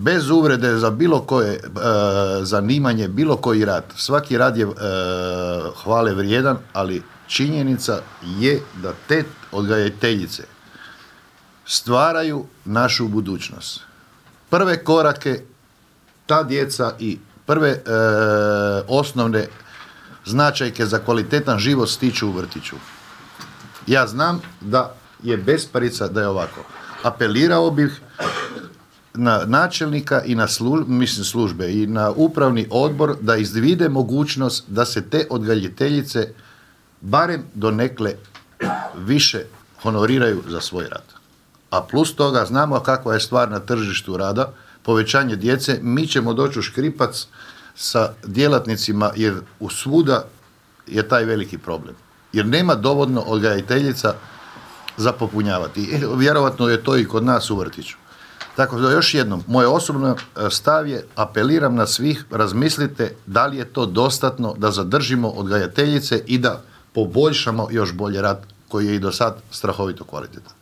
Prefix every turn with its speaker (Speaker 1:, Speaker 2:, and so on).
Speaker 1: bez uvrede za bilo koje zanimanje, bilo koji rad. Svaki rad je hvale vrijedan, ali činjenica je da te odgajateljice stvaraju našu budućnost. Prve korake ta djeca i prve osnovne značajke za kvalitetan život stiču u vrtiću. Ja znam da je besparica da je ovako. Apelirao bih na načelnika i na službe i na upravni odbor da izvide mogućnost da se te odgajateljice barem donekle više honoriraju za svoj rad. A plus toga znamo kakva je stvar na tržištu rada, povećanje djece, mi ćemo doći u škripac sa djelatnicima jer u svuda je taj veliki problem. Jer nema dovoljno odgajateljica za popunjavati. Vjerovatno je to i kod nas u vrtiću. Tako da još jednom, moj osobno stav je, apeliram na svih, razmislite da li je to dostatno da zadržimo odgajateljice i da poboljšamo još bolje rad koji je i do sad strahovito kvalitetan.